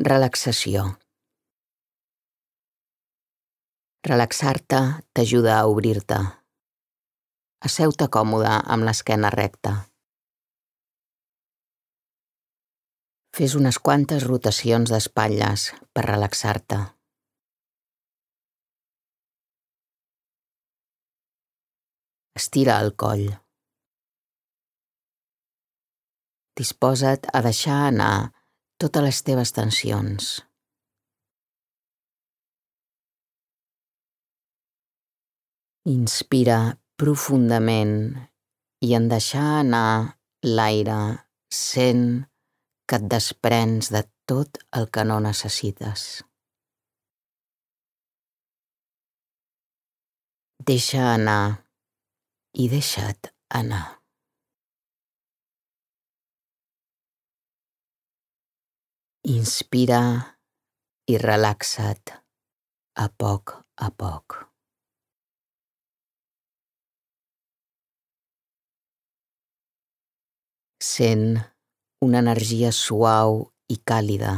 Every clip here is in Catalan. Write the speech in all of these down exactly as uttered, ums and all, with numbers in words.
Relaxació. Relaxar-te t'ajuda a obrir-te. Asseu-te còmode amb l'esquena recta. Fes unes quantes rotacions d'espatlles per relaxar-te. Estira el coll. Disposa't a deixar anar totes les teves tensions. Inspira profundament i en deixar anar l'aire sent que et desprens de tot el que no necessites. Deixa anar i deixa't anar. Inspira i relaxa't a poc a poc. Sent una energia suau i càlida,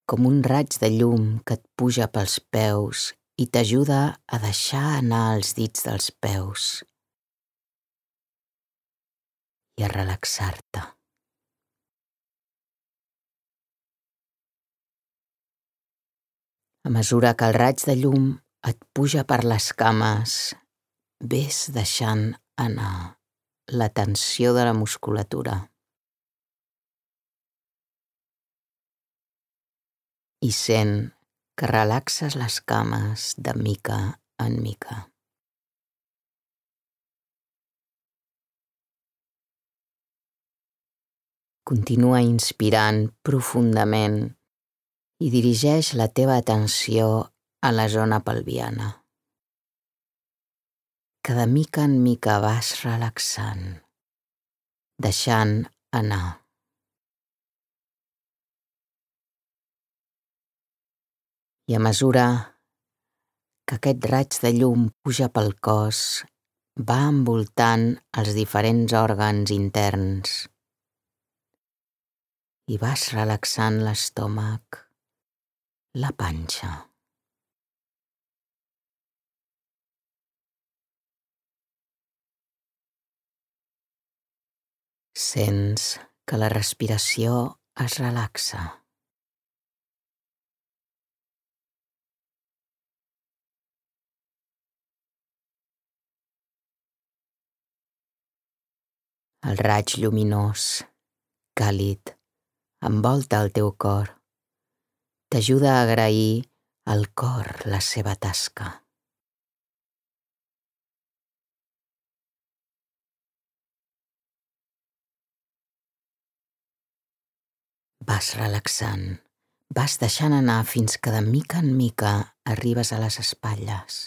com un raig de llum que et puja pels peus i t'ajuda a deixar anar els dits dels peus i a relaxar-te. A mesura que el raig de llum et puja per les cames, ves deixant anar la tensió de la musculatura. I sent que relaxes les cames de mica en mica. Continua inspirant profundament i dirigeix la teva atenció a la zona pelviana, que de mica en mica vas relaxant, deixant anar. I a mesura que aquest raig de llum puja pel cos, va envoltant els diferents òrgans interns i vas relaxant l'estómac, la panxa. Sents que la respiració es relaxa. El raig lluminós, càlid, envolta el teu cor. T'ajuda a agrair al cor la seva tasca. Vas relaxant, vas deixant anar fins que de mica en mica arribes a les espatlles.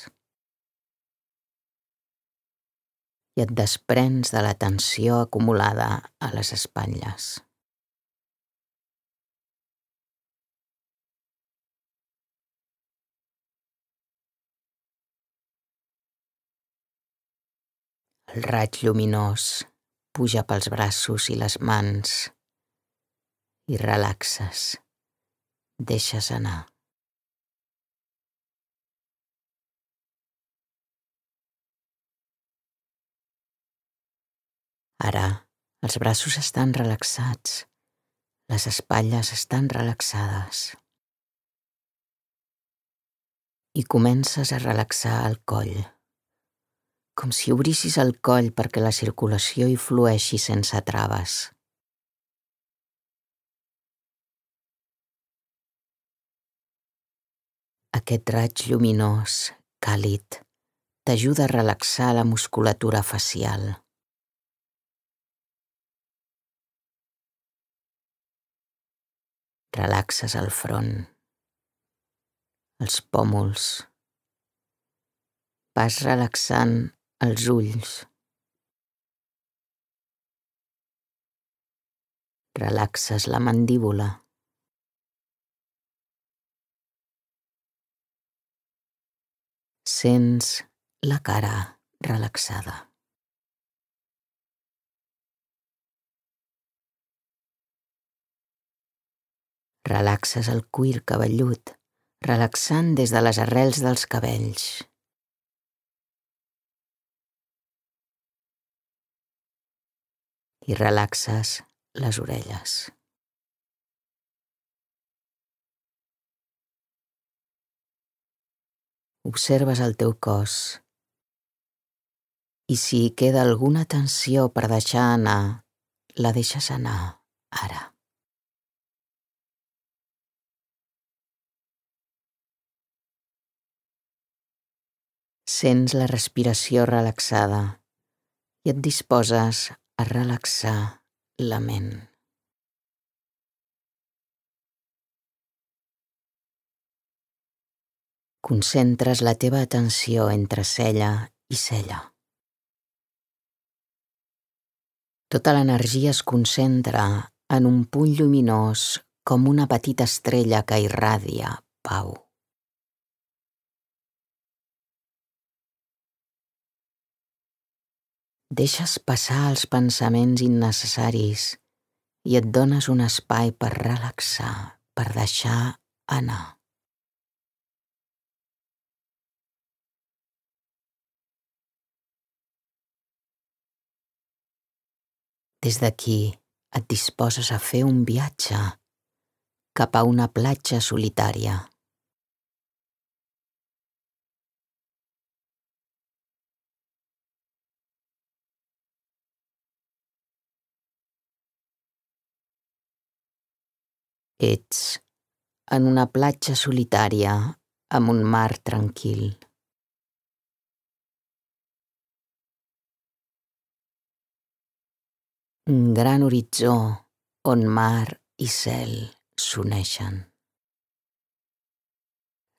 I et desprens de la tensió acumulada a les espatlles. El raig lluminós puja pels braços i les mans i relaxes, deixes anar. Ara, els braços estan relaxats, les espatlles estan relaxades. I comences a relaxar el coll, com si obrissis el coll perquè la circulació hi flueixi sense traves. Aquest raig lluminós, càlid, t'ajuda a relaxar la musculatura facial. Relaxes el front, els pòmuls. Vas relaxant els ulls. Relaxes la mandíbula. Sents la cara relaxada. Relaxes el cuir cabellut, relaxant des de les arrels dels cabells. I relaxes les orelles. Observes el teu cos i si hi queda alguna tensió per deixar anar, la deixes anar ara. Sents la respiració relaxada i et disposes a relaxar la ment. Concentres la teva atenció entre cella i cella. Tota l'energia es concentra en un punt lluminós com una petita estrella que irradia pau. Deixes passar els pensaments innecessaris i et dones un espai per relaxar, per deixar anar. Des d'aquí et disposes a fer un viatge cap a una platja solitària. Ets en una platja solitària amb un mar tranquil. Un gran horitzó on mar i cel s'uneixen.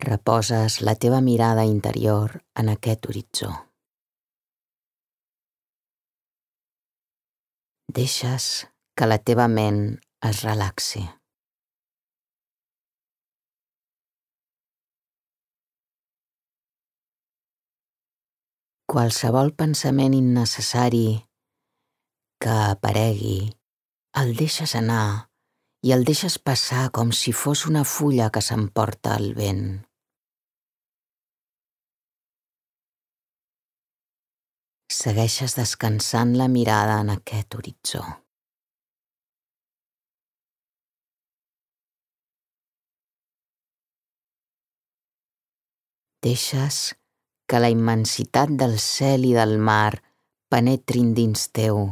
Reposes la teva mirada interior en aquest horitzó. Deixes que la teva ment es relaxi. Qualsevol pensament innecessari que aparegui, el deixes anar i el deixes passar com si fos una fulla que s'emporta el vent. Segueixes descansant la mirada en aquest horitzó. Deixes que la immensitat del cel i del mar penetrin dins teu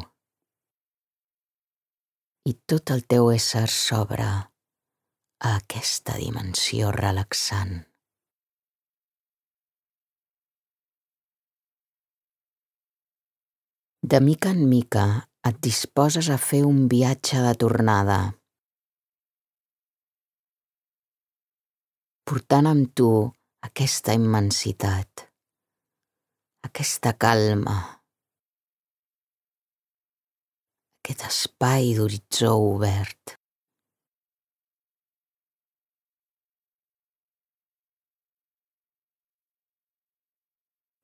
i tot el teu ésser s'obre a aquesta dimensió relaxant. De mica en mica et disposes a fer un viatge de tornada, portant amb tu aquesta immensitat, aquesta calma, aquest espai d'horitzó obert.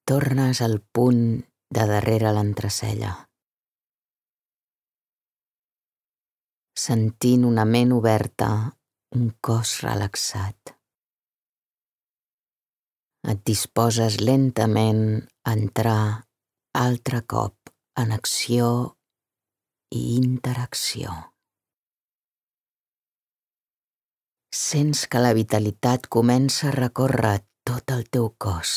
Tornes al punt de darrere l'entrecella, sentint una ment oberta, un cos relaxat. Et disposes lentament a entrar altre cop en acció i interacció. Sents que la vitalitat comença a recórrer tot el teu cos.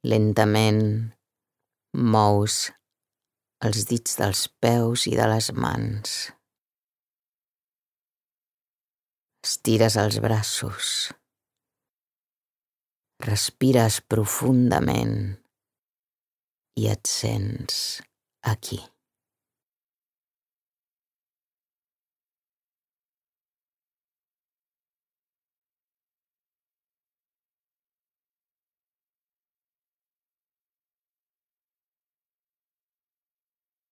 Lentament mous els dits dels peus i de les mans. Estires els braços. Respires profundament i et sents aquí.